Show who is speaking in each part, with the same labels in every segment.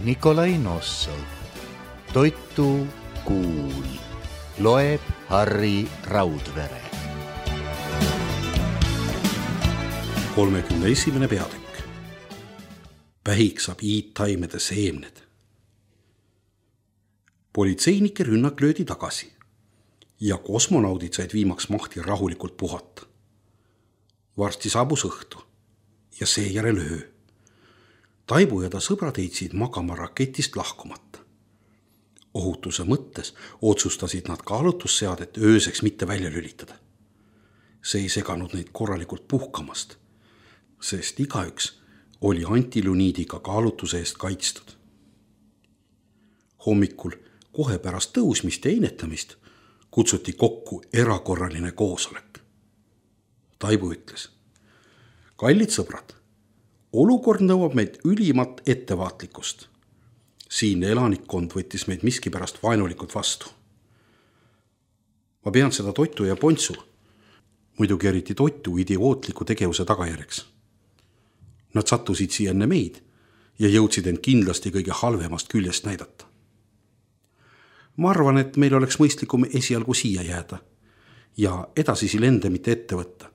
Speaker 1: Nikolai Nossov. Toitu kuul. Loeb Harri Raudvere.
Speaker 2: 31. peatükk. Pähiksab iidtaimede seemned. Politseinike rünnak löödi tagasi ja kosmonaudid said viimaks mahti rahulikult puhata. Varsti saabus õhtu ja seejärel öö. Taibu ja ta sõbrad heitsid magama raketist lahkumata. Ohutuse mõttes otsustasid nad kaalutusseadet ööseks mitte välja lülitada. See ei seganud neid korralikult puhkamast, sest igaüks oli antiluniidiga kaalutuse eest kaitstud. Hommikul kohe pärast tõusmist ja inetamist kutsuti kokku erakorraline koosolek. Taibu ütles: kallid sõbrad, olukord nõuab meid ülimat ettevaatlikkust. Siinne elanikkond võttis meid miskipärast vaenulikult vastu. Ma pean seda Toitu ja Pontsu, muidugi eriti Toitu idiootliku tegevuse tagajärjeks. Nad sattusid siia enne meid ja jõudsid end kindlasti kõige halvemast küljest näidata. Ma arvan, et meil oleks mõistlikum esialgu siia jääda ja edasisi lende mitte ette võtta,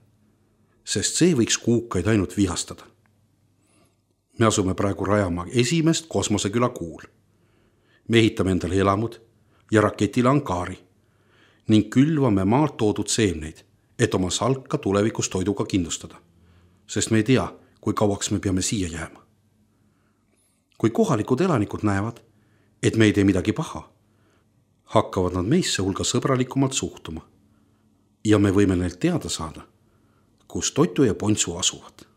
Speaker 2: sest see võiks kuukaid ainult vihastada. Me asume praegu rajama esimest kosmoseküla kuul. Me ehitame endale elamud ja raketile ankaari ning külvame maalt toodud seemneid, et oma salka tulevikus toiduga kindlustada, sest me ei tea, kui kauaks me peame siia jääma. Kui kohalikud elanikud näevad, et me ei tee midagi paha, hakkavad nad meisse hulga sõbralikumalt suhtuma ja me võime neilt teada saada, kus Toitu ja Pontsu asuvad.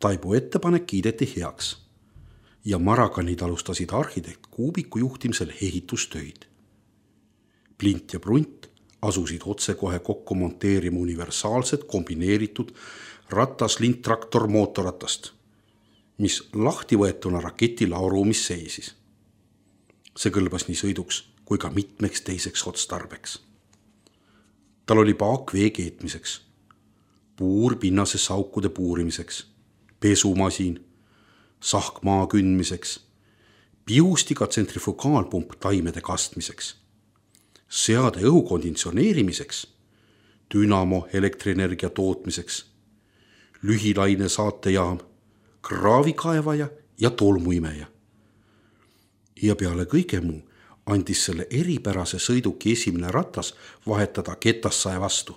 Speaker 2: Taibu ettepanek kiideti heaks ja Maraganid alustasid arhitekt Kuubiku juhtimisel ehitustöid. Plint ja Prunt asusid otsekohe kokku monteerima universaalset kombineeritud ratas-lint-traktor mootorratast, mis lahti võetuna raketi laoruumis seisis. See kõlbas nii sõiduks kui ka mitmeks teiseks otstarbeks. Tal oli paak vee keetmiseks, puur pinnases aukude puurimiseks, pesumasin, sahk maa kündmiseks, piustiga tsentrifugaalpump taimede kastmiseks, seade õhu konditsioneerimiseks, dünamo elektrienergia tootmiseks, lühilaine saatejaam, kraavikaevaja ja tolmuimeja. Ja peale kõige muu andis selle eripärase sõiduki esimene ratas vahetada ketassae vastu,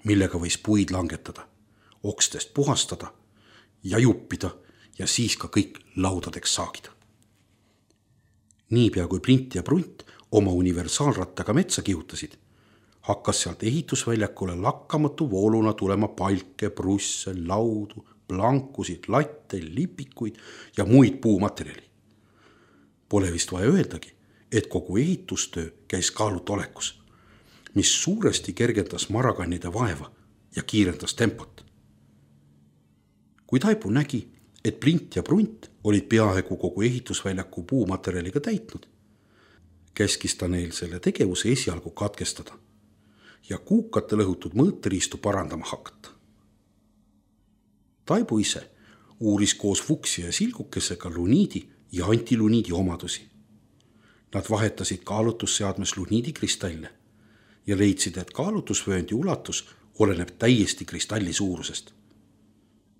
Speaker 2: millega võis puid langetada, okstest puhastada ja juppida ja siis ka kõik laudadeks saagida. Niipea kui Print ja Prunt oma universaalrattaga metsa kihutasid, hakkas sealt ehitusväljakule lakkamatu vooluna tulema palke, prusse, laudu, plankusid, latte, lipikuid ja muid puumaterjali. Pole vist vaja öeldagi, et kogu ehitustöö käis kaalutolekus, mis suuresti kergendas Maraganide vaeva ja kiirendas tempot. Kui Taibu nägi, et Print ja Prunt olid peaaegu kogu ehitusväljaku puumaterjaliga täitnud, käskis ta neil selle tegevuse esialgu katkestada ja kuukate lõhutud mõõteriistu parandama hakata. Taibu ise uuris koos Fuksi ja Silgukesega luniidi ja antiluniidi omadusi. Nad vahetasid kaalutusseadmes luniidikristalle ja leidsid, et kaalutusvööndi ulatus oleneb täiesti kristalli suurusest.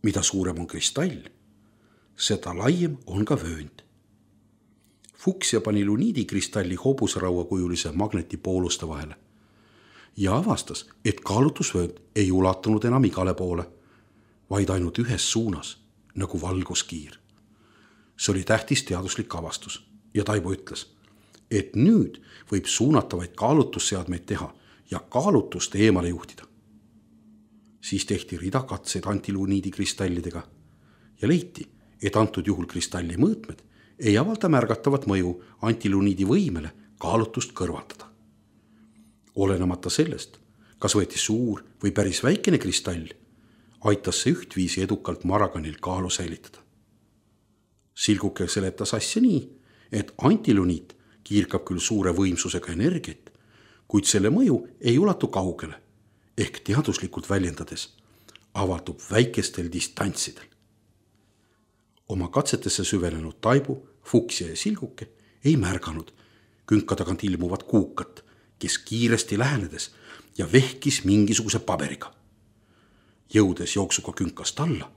Speaker 2: Mida suurem on kristall, seda laiem on ka vöönd. Fuksja pani luniidikristalli hobuseraua-kujulise magnetipooluste vahele ja avastas, et kaalutusvöönd ei ulatunud enam igale poole, vaid ainult ühes suunas, nagu valguskiir. See oli tähtis teaduslik avastus ja Taibu ütles, et nüüd võib suunatavaid kaalutusseadmeid teha ja kaalutust eemale juhtida. Siis tehti rida katseid antiluniidikristallidega ja leiti, et antud juhul kristalli mõõtmed ei avalda märgatavat mõju antiluniidi võimele kaalutust kõrvaldada. Olenemata sellest, kas võeti suur või päris väikene kristall, aitas see ühtviisi edukalt Maraganil kaalu säilitada. Silguke seletas asja nii, et antiluniit kiirkab küll suure võimsusega energiat, kuid selle mõju ei ulatu kaugele, ehk teaduslikult väljendades avaldub väikestel distantsidel. oma katsetesse süvenenud Taibu, Fuksja ja Silguke ei märganud künka tagant ilmuvat Kuukat, kes kiiresti lähenedes ja vehkis mingisuguse paberiga. Jõudes jooksuga künkast alla,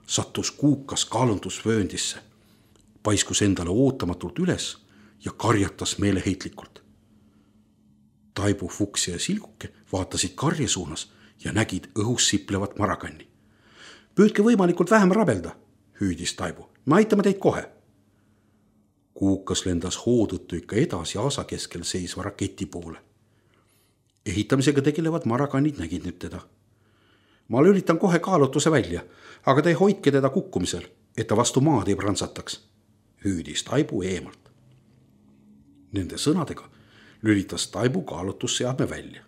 Speaker 2: sattus Kuukas kaalundusvööndisse, paiskus endale ootamatult üles ja karjatas meeleheitlikult. Taibu, Fuksja ja Silguke vaatasid karje suunas ja nägid õhus siplevat marakanni. Püüdke võimalikult vähem rabelda, hüüdis Taibu. Me aitame teid kohe. Kuukas lendas hoo tõttu ikka edasi aasa keskel seisva raketi poole. Ehitamisega tegelevad marakannid nägid nüüd teda. Ma lülitan kohe kaalutuse välja, aga te hoidke teda kukkumisel, et ta vastu maad ei prantsataks, hüüdis Taibu eemalt. Nende sõnadega lülitas Taibu kaalutusseadme välja.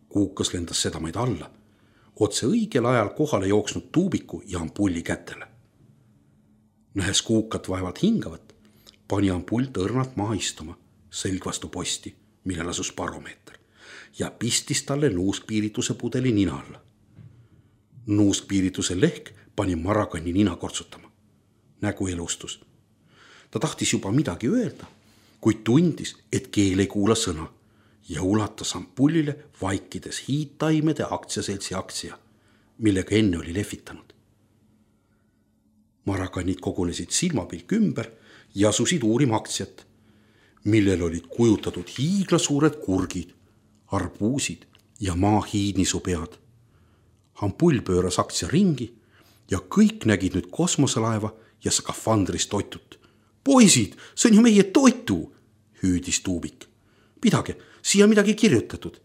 Speaker 2: Kuukas lendas sedamaid alla, otse õigel ajal kohale jooksnud tuubiku ja ampulli kätele. Nähes Kuukat vaevalt hingavat, pani ampull tõrnalt maha istuma, selg vastu posti, millel asus baromeeter, ja pistis talle nuuskpiirituse pudeli nina alla. Nuuskpiirituse lehk pani marakanni nina kortsutama. Nägu elustus. Ta tahtis juba midagi öelda, kuid tundis, et keel ei kuula sõna ja ulatas ampullile vaikides hiidtaimede aktsiaseltsi aktsia, millega enne oli lehvitanud. Marakannid kogunesid silmapilk ümber ja asusid uurima aktsiat, millel olid kujutatud hiiglasuured kurgid, arbuusid ja maahiidnisupead. Ampull pööras aktsia ringi ja kõik nägid nüüd kosmoselaeva ja skafandris toitut. Poisid, see on ju meie toitu, hüüdis tuubik. Pidage, siia midagi kirjutatud,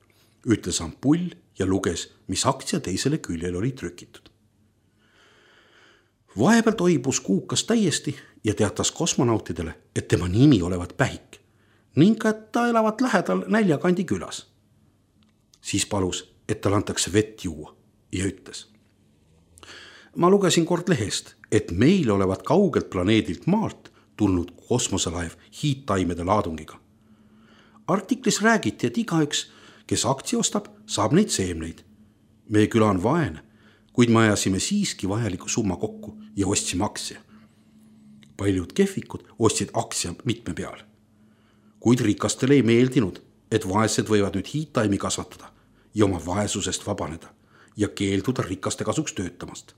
Speaker 2: ütles ampull ja luges, mis aktsia teisele küljel oli trükitud. Vahepeal toibus Kuukas täiesti ja teatas kosmonautidele, et tema nimi olevat Pähik ning et ta elavat lähedal Näljakandi külas. Siis palus, et tal antakse vett juua ja ütles. Ma lugesin kord lehest, et meil olevat kaugelt planeedilt maalt tulnud kosmoselaev hiidtaimede laadungiga. Artiklis räägiti, et igaüks, kes aktsia ostab, saab neid seemneid. Meie küla on vaene, kuid me ajasime siiski vajaliku summa kokku ja ostsime aktsia. Paljud kehvikud ostsid aktsia mitme peal. Kuid rikastele ei meeldinud, et vaesed võivad nüüd hiidtaimi kasvatada ja oma vaesusest vabaneda ja keelduda rikaste kasuks töötamast.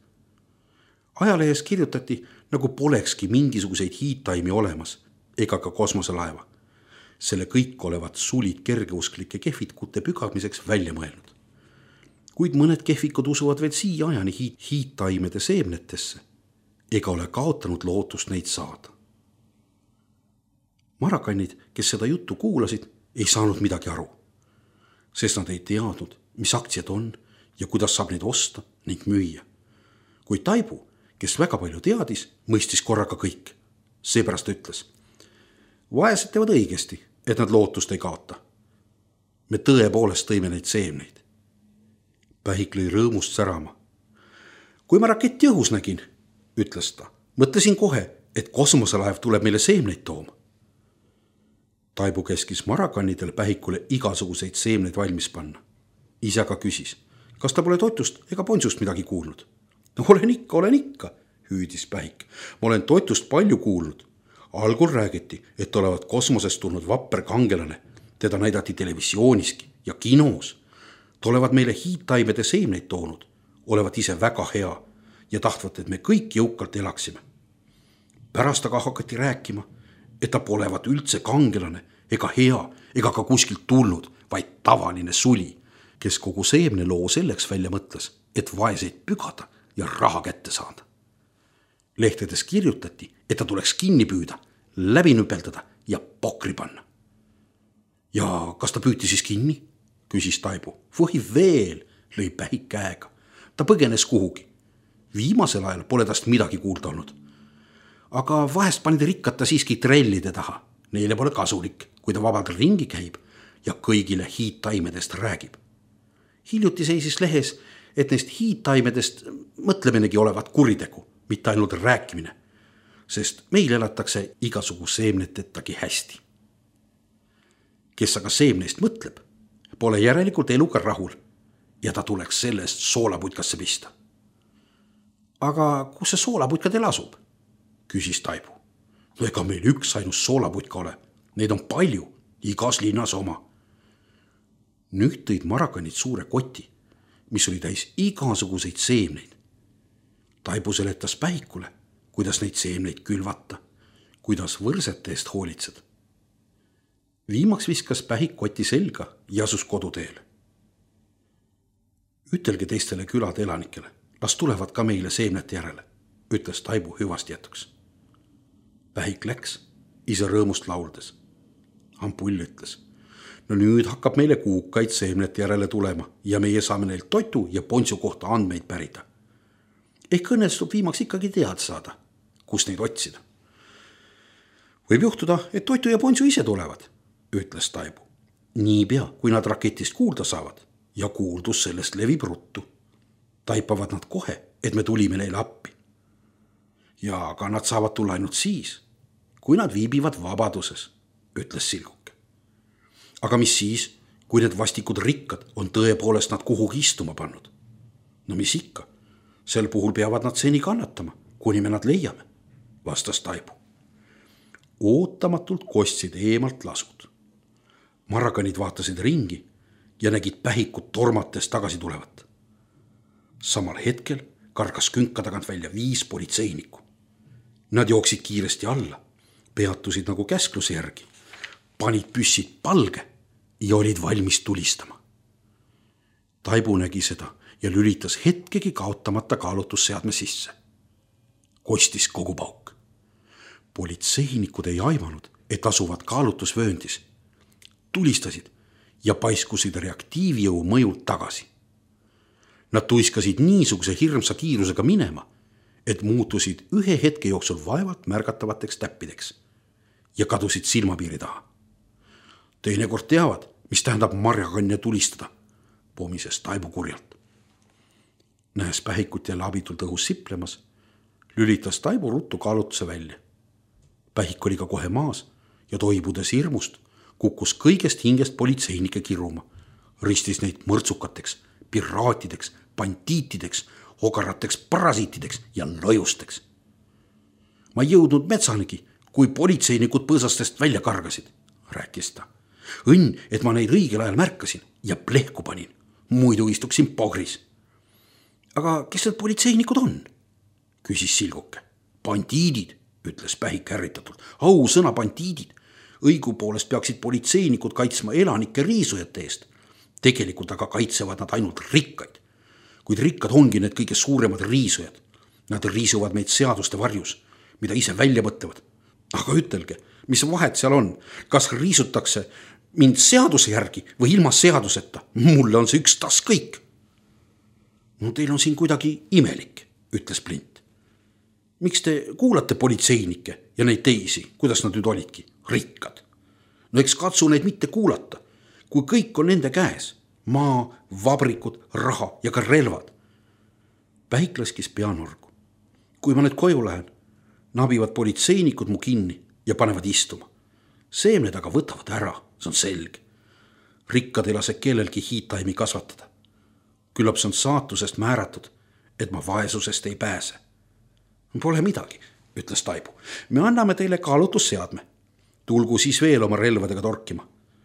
Speaker 2: Ajalehes kirjutati, nagu polekski mingisuguseid hiidtaimi olemas ega ka kosmoselaeva. Selle kõik olevat sulid kergeusklike kehvikute pügamiseks välja mõelnud. Kuid mõned kehvikud usuvad veel siia ajani hiidtaimede seemnetesse ega ole kaotanud lootust neid saada. Marakannid, kes seda juttu kuulasid, ei saanud midagi aru, sest nad ei teadnud, mis aktsiad on ja kuidas saab neid osta ning müüa. Kui Taibu, kes väga palju teadis, mõistis korraga kõik. Seepärast ütles, vaesed teevad õigesti, et nad lootust ei kaota. Me tõepoolest tõime neid seemneid. Pähik lõi rõõmust särama. Kui ma raketti õhus nägin, ütles ta, mõtlesin kohe, et kosmoselaev tuleb meile seemneid tooma. Taibu käskis marakannidel Pähikule igasuguseid seemneid valmis panna. Ise aga küsis, kas ta pole toitust ega ponsust midagi kuulnud. Olen ikka, hüüdis Pähik. Ma olen toitust palju kuulnud. Algul räägiti, et olevat kosmosest tulnud vapper kangelane. Teda näidati televisiooniski ja kinos. Ta olevat meile hiidtaimede seemneid toonud. Olevat ise väga hea ja tahtvat, et me kõik jõukalt elaksime. Pärast aga hakati rääkima, et ta polevat üldse kangelane ega hea ega ka kuskilt tulnud, vaid tavaline suli, kes kogu seemne loo selleks välja mõtles, et vaeseid pügada ja raha kätte saada. Lehtedes kirjutati, et ta tuleks kinni püüda, läbi nüpeldada ja pokri panna. Ja kas ta püüti siis kinni? Küsis Taibu. Või veel, lõi Pähik käega. Ta põgenes kuhugi. Viimasel ajal pole tast midagi kuulda olnud. Aga vahest panid rikkad ta siiski trellide taha. Neile pole kasulik, kui ta vabalt ringi käib ja kõigile hiidtaimedest räägib. Hiljuti seisis lehes, et neist hiidtaimedest mõtleminegi olevat kuritegu, mitte ainult rääkimine, sest meil elatakse igasugu seemnetettagi hästi. Kes aga seemneist mõtleb, pole järelikult eluga rahul ja ta tuleks sellest soolaputkasse pista. Aga kus see soolaputka teil asub? küsis Taibu. No ega meil üks ainus soolaputka ole, neid on palju, igas linnas oma. Nüüd tõid marakanid suure koti, mis oli täis igasuguseid seemneid. Taibu seletas Pähikule, kuidas neid seemneid külvata, kuidas võrsete eest hoolitseda. Viimaks viskas Pähik koti selga ja asus koduteele. Ütelge teistele külade elanikele, las tulevad ka meile seemnete järele, ütles Taibu hüvasti jätuks. Pähik läks, ise rõõmust lauldes. Ampull ütles, no nüüd hakkab meile kuukaid seemnete järele tulema ja meie saame neilt toitu ja ponsu kohta andmeid pärida. Ehk õnnestub viimaks ikkagi teada saada, kus neid otsida. Võib juhtuda, et toitu ja ponsu ise tulevad, ütles Taibu. Niipea, kui nad raketist kuulda saavad ja kuuldus sellest levib ruttu. Taipavad nad kohe, et me tulime neile appi. Ja ka nad saavad tulla ainult siis, kui nad viibivad vabaduses, ütles Silguke. Aga mis siis, kui need vastikud rikkad on tõepoolest nad kuhugi istuma pannud? No mis ikka, sel puhul peavad nad seni kannatama, kuni me nad leiame, vastas Taibu. Ootamatult kostsid eemalt lasud. Marakanid vaatasid ringi ja nägid Pähikut tormates tagasi tulevat. Samal hetkel kargas künka tagant välja 5 politseinikku. Nad jooksid kiiresti alla, peatusid nagu käskluse järgi, panid püssid palge ja olid valmis tulistama. Taibu nägi seda ja lülitas hetkegi kaotamata kaalutusseadme sisse. Kostis kogu pauk. Politseinikud ei aimanud, et asuvad kaalutusvööndis. Tulistasid ja paiskusid reaktiivjõu mõjult tagasi. Nad tuiskasid niisuguse hirmsa kiirusega minema, et muutusid ühe hetke jooksul vaevalt märgatavateks täppideks ja kadusid silmapiiri taha. Teinekord teavad, mis tähendab marjakanne tulistada, pomises Taibu kurjalt. Nähes Pähikut jälle abitult õhus siplemas, lülitas Taibu ruttu kaalutuse välja. Pähik oli ka kohe maas ja toibudes hirmust kukkus kõigest hingest politseinike kiruma, ristis neid mõrtsukateks, piraatideks, bandiitideks, ogarateks parasiitideks ja lojusteks. Ma ei jõudnud metsanigi, kui politseinikud põõsastest välja kargasid, rääkis ta. Õnn, et ma neid õigel ajal märkasin ja plehku panin, muidu istuksin pogris. Aga kes need politseinikud on? Küsis Silguke. Bandiidid, ütles Pähik ärritatult. Ausõna bandiidid. Õigupoolest peaksid politseinikud kaitsma elanike riisujate eest. Tegelikult aga kaitsevad nad ainult rikkaid. Kuid rikkad ongi need kõige suuremad riisujad. Nad riisuvad meid seaduste varjus, mida ise välja mõtlevad. Aga ütelge, mis vahet seal on? Kas riisutakse mind seaduse järgi või ilma seaduseta? Mulle on see üks tas kõik. No teil on siin kuidagi imelik, ütles Plint. Miks te kuulate politseinikke ja neid teisi, kuidas nad nüüd olidki? Rikkad. No eks katsu neid mitte kuulata, kui kõik on nende käes. Maa, vabrikud, raha ja ka relvad. Pähik laskis peanorgu. Kui ma nüüd koju lähen, nabivad politseinikud mu kinni ja panevad istuma. Seemned aga võtavad ära, see on selge. Rikkad ei lase kellelgi hiitaimi kasvatada. Küllap see on saatusest määratud, et ma vaesusest ei pääse. Pole midagi, ütles Taibu. Me anname teile kaalutusseadme. Tulgu siis veel oma relvadega torkima.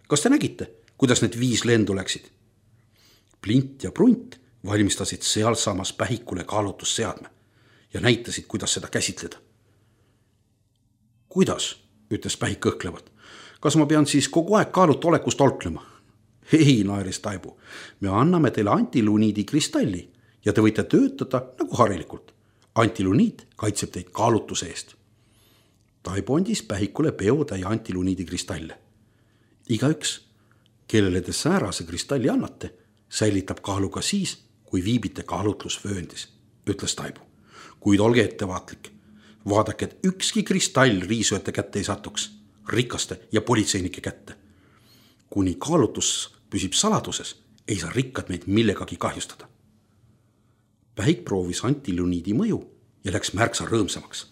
Speaker 2: Kas te nägite, kuidas need 5 lendu läksid? Plint ja Prunt valmistasid sealsamas Pähikule kaalutusseadme ja näitasid, kuidas seda käsitleda. Kuidas, ütles Pähik kõhklevalt. Kas ma pean siis kogu aeg kaalutu olekust tolklema? Ei, naeris Taibu. Me anname teile antiluniidi kristalli ja te võite töötada nagu harilikult. Antiluniit kaitseb teid kaalutuse eest. Taibu andis Pähikule peotäie antiluniidi kristalle. Igaüks, kellele te säärase kristalli annate, säilitab kaalu ka siis, kui viibite kaalutlusvööndis, ütles Taibu. Kuid olge ettevaatlik. Vaadake, et ükski kristall riisujate kätte ei satuks, rikaste ja politseinike kätte. Kuni kaalutus püsib saladuses, ei saa rikkad meid millegagi kahjustada. Pähik proovis antiluniidi mõju ja läks märksa rõõmsamaks.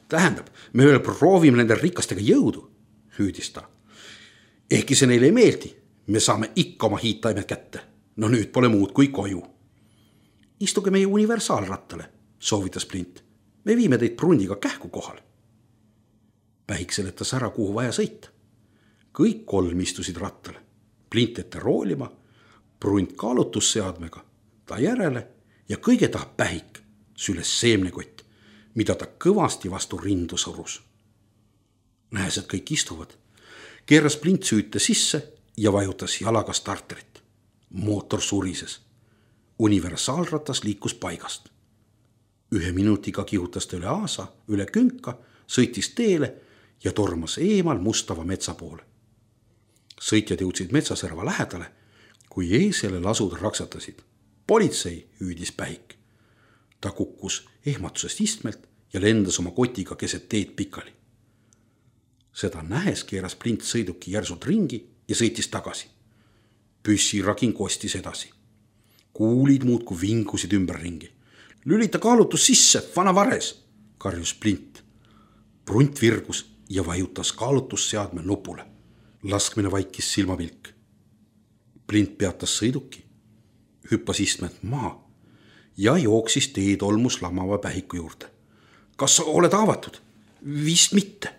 Speaker 2: Tähendab, me veel proovime nende rikastega jõudu, hüüdis ta. Ehkki see neile ei meeldi, me saame ikka oma hiittaimed kätte. No nüüd pole muud kui koju. Istuge meie universaalrattale, soovitas Plint. Me viime teid Prundiga kähku kohal Pähik seletas ära, kuhu vaja sõita. Kõik kolm istusid rattale, Plint ette roolima, Prunt kaalutusseadmega, ta järele ja kõige taha Pähik süles seemnekott, mida ta kõvasti vastu rindu surus. Nähes, et kõik istuvad, keeras Plint süüte sisse ja vajutas jalaga starterit. Mootor surises. Universaalratas liikus paigast. 1 minutiga kihutas ta üle aasa, üle künka, sõitis teele ja tormas eemal mustava metsa poole. Sõitjad jõudsid metsaserva lähedale, kui eesele lasud raksatasid. Politsei, hüüdis Pähik. Ta kukkus ehmatusest istmelt ja lendas oma kotiga keset teed pikali. Seda nähes keeras Plint sõiduki järsult ringi ja sõitis tagasi. Püssiragin kostis edasi. Kuulid muudku vingusid ümberringi. Lülita kaalutus sisse, vana vares, karjus Plint. Prunt virgus ja vajutas kaalutusseadme nupule. Laskmine vaikis silmapilk. Plint peatas sõiduki, hüppas istmed maa ja jooksis teetolmus lamava Pähiku juurde. Kas sa oled haavatud? Vist mitte,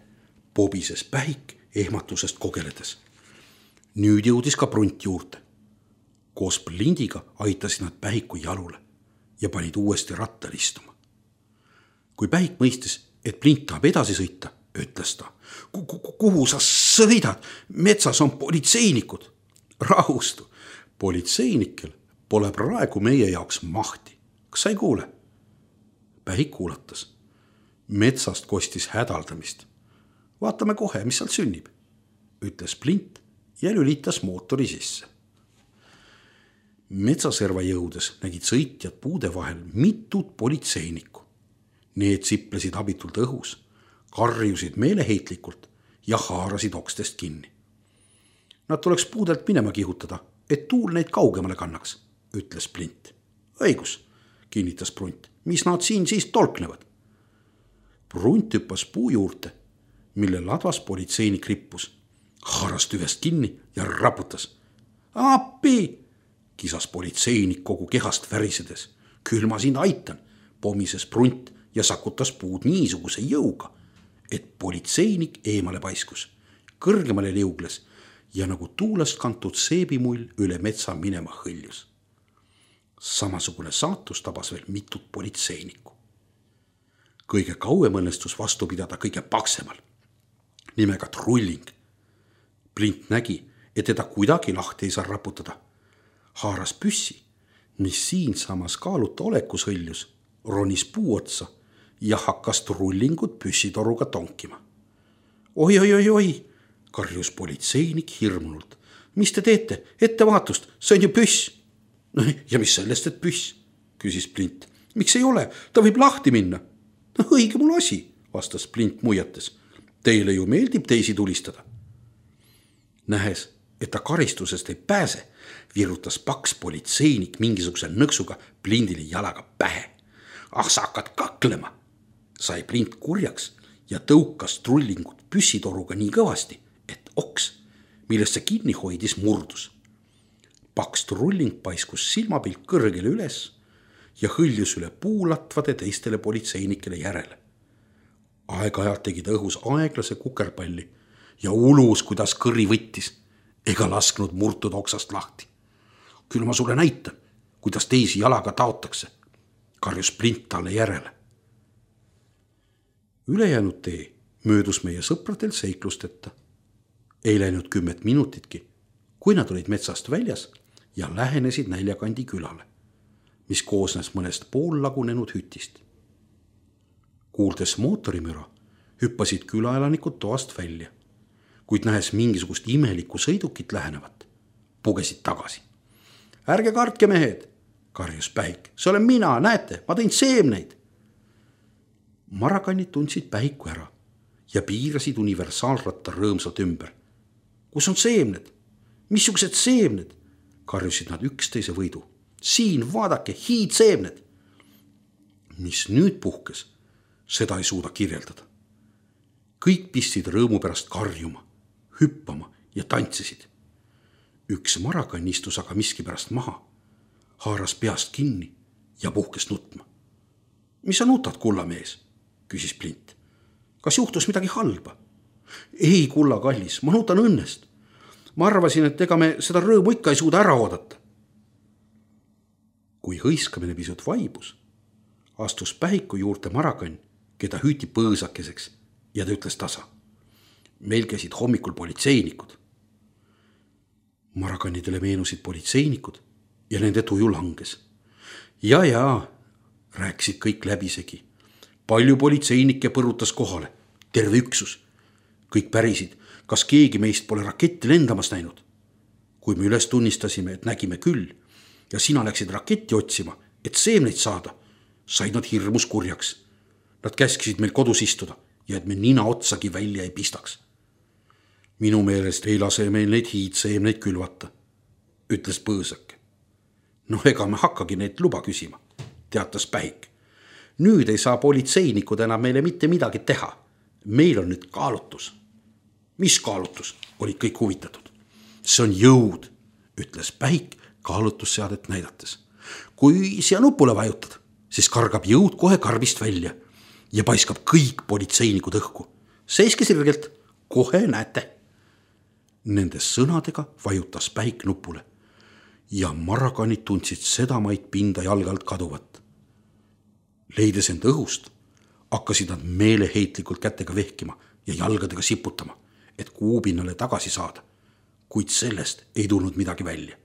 Speaker 2: pobises Pähik ehmatusest kogeledes. Nüüd jõudis ka Prunt juurde. Koos Plindiga aitasid nad Pähiku jalule ja panid uuesti rattal istuma. Kui Pähik mõistis, et Plint tahab edasi sõita, ütles ta. Kuhu sa sõidad? Metsas on politseinikud. Rahustu, politseinikel pole praegu meie jaoks mahti. Kas sa ei kuule? Pähik kuulatas. Metsast kostis hädaldamist. Vaatame kohe, mis seal sünnib, ütles Plint ja lülitas mootori sisse. Metsaserva jõudes nägid sõitjad puude vahel mitut politseinikku. Need siplesid abitult õhus, karjusid meeleheitlikult ja haarasid okstest kinni. Nad tuleks puudelt minema kihutada, et tuul neid kaugemale kannaks, ütles Plint. Õigus, kinnitas Prunt, mis nad siin siis tolknevad? Prunt hüppas puu juurde, mille ladvas politseinik rippus, haaras tüvest kinni ja raputas. Appi, kisas politseinik kogu kehast värisedes. Küll ma sind aitan, pomises Prunt ja sakutas puud niisuguse jõuga, et politseinik eemale paiskus, kõrgemale liugles ja nagu tuulest kantud seebimull üle metsa minema hõljus. Samasugune saatus tabas veel mitut politseinikku. Kõige kauem õnnestus vastu pidada kõige paksemal, nimega Trulling. Plint nägi, et teda kuidagi lahti ei saa raputada. Haaras püssi, mis siinsamas kaaluta olekus hõljus, ronis puu otsa ja hakkas Trullingut püssitoruga tonkima. Oi, karjus politseinik hirmunult. Mis te teete? Ettevaatust, see on ju püss. Ja mis sellest, et püss, küsis Plint. Miks ei ole? Ta võib lahti minna. Õige mul asi, vastas Plint muiates. Teile ju meeldib teisi tulistada. Nähes, et ta karistusest ei pääse, virutas paks politseinik mingisuguse nõksuga Plindile jalaga pähe. Sa hakkad kaklema, sai Plint kurjaks ja tõukas Trullingut püssitoruga nii kõvasti, et oks, millest see kinni hoidis, murdus. Paks Trulling paiskus silmapilk kõrgele üles ja hõljus üle puulatvade teistele politseinikele järele. Aeg-ajalt tegid õhus aeglase kukerpalli ja ulus, kuidas kõri võttis, ega lasknud murtud oksast lahti. Küll ma sulle näitan, kuidas teisi jalaga taotakse, karjus Plint talle järele. Ülejäänud tee möödus meie sõpradel seiklusteta. Ei läinud 10 minutitki, kui nad olid metsast väljas ja lähenesid Näljakandi külale, mis koosnes mõnest poollagunenud hütist. Kuuldes mootorimüra, hüppasid külaelanikud toast välja, kuid nähes mingisugust imelikku sõidukit lähenevat, pugesid tagasi. Ärge kartke, mehed, karjus Pähik. See olen mina, näete, ma tõin seemneid. Marakannid tundsid Pähiku ära ja piirasid universaalratta rõõmsalt ümber. Kus on seemned? Missugused seemned? Karjusid nad üksteise võidu. Siin, vaadake, hiidseemned. Mis nüüd puhkes, seda ei suuda kirjeldada. Kõik pistsid rõõmu pärast karjuma, hüppama ja tantsisid. Üks marakann istus aga miskipärast maha, haaras peast kinni ja puhkes nutma. Mis sa nutad, kullamees? Küsis Plint. Kas juhtus midagi halba? Ei, kulla kallis, ma nuutan õnnest. Ma arvasin, et ega me seda rõõmu ikka ei suuda ära oodata. Kui hõiskamine pisut vaibus, astus Pähiku juurde Marakann, keda hüüti põõsakeseks, ja ta ütles tasa. Meil käisid hommikul politseinikud. Marakannidele meenusid politseinikud ja nende tuju langes. Ja, rääkisid kõik läbisegi. Palju politseinikke põrutas kohale, terve üksus. Kõik pärisid, kas keegi meist pole raketti lendamas näinud. Kui me üles tunnistasime, et nägime küll, ja sina läksid raketti otsima, et seemneid saada, said nad hirmus kurjaks. Nad käskisid meil kodus istuda ja et me nina otsagi välja ei pistaks. Minu meelest ei lase meil neid hiidseemneid külvata, ütles põõsake. No ega me hakkagi neid luba küsima, teatas Pähik. Nüüd ei saa politseinikud enam meile mitte midagi teha. Meil on nüüd kaalutus. Mis kaalutus? Olid kõik huvitatud. See on jõud, ütles Pähik kaalutusseadet näidates. Kui siia nupule vajutad, siis kargab jõud kohe karbist välja ja paiskab kõik politseinikud õhku. Seiske sirgelt, kohe näete. Nende sõnadega vajutas Pähik nupule ja Marakannid tundsid sedamaid pinda jalgalt kaduvat. Leides end õhust, hakkasid nad meeleheitlikult kätega vehkima ja jalgadega siputama, et kuupinnale tagasi saada, kuid sellest ei tulnud midagi välja.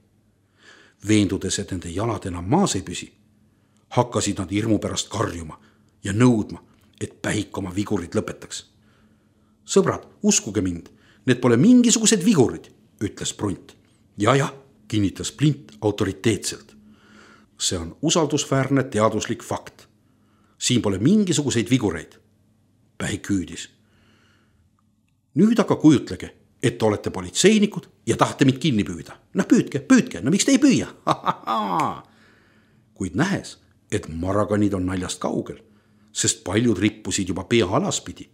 Speaker 2: Veendudes, et nende jalad enam maas ei püsi, hakkasid nad hirmu pärast karjuma ja nõudma, et Pähik oma vigurid lõpetaks. Sõbrad, uskuge mind, need pole mingisugused vigurid, ütles Prunt. Ja, kinnitas Plint autoriteetselt. See on usaldusväärne teaduslik fakt. Siin pole mingisuguseid vigureid. Pähik hüüdis. Nüüd aga kujutlege, et olete politseinikud ja tahate mind kinni püüda. Püüdke, miks te ei püüa? Kuid nähes, et Marakannid on naljast kaugel, sest paljud rippusid juba pea alaspidi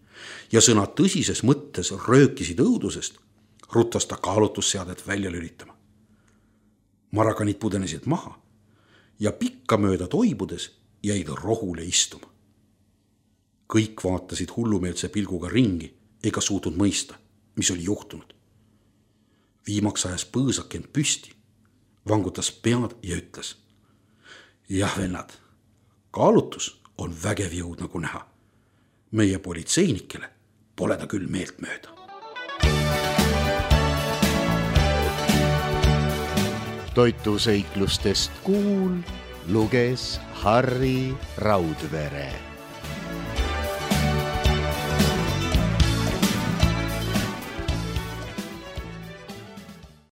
Speaker 2: ja sõna tõsises mõttes röökisid õudusest, ruttas ta kaalutusseadet välja lülitama. Marakannid pudenesid maha ja pikkamööda toibudes jäid rohule istuma. Kõik vaatasid hullumeelse pilguga ringi ega suutnud mõista, mis oli juhtunud. Viimaks ajas põõsake end püsti, vangutas pead ja ütles. Jah, vennad, kaalutus on vägev jõud nagu näha. Meie politseinikele pole ta küll meelt mööda.
Speaker 1: Toituseiklustest Kuul luges Harri Raudvere.